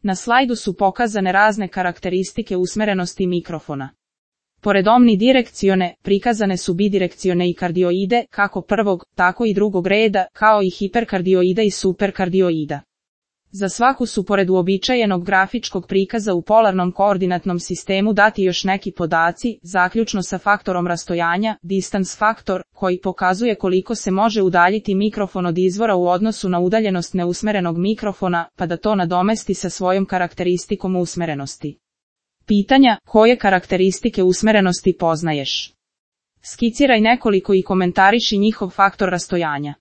Na slajdu su pokazane razne karakteristike usmerenosti mikrofona. Pored omnidirekcione, prikazane su bidirekcione i kardioide, kako prvog, tako i drugog reda, kao i hiperkardioida i superkardioida. Za svaku su pored uobičajenog grafičkog prikaza u polarnom koordinatnom sistemu dati još neki podaci, zaključno sa faktorom rastojanja, distance faktor, koji pokazuje koliko se može udaljiti mikrofon od izvora u odnosu na udaljenost neusmerenog mikrofona, pa da to nadomesti sa svojom karakteristikom usmerenosti. Pitanja: koje karakteristike usmerenosti poznaješ? Skiciraj nekoliko i komentariši njihov faktor rastojanja.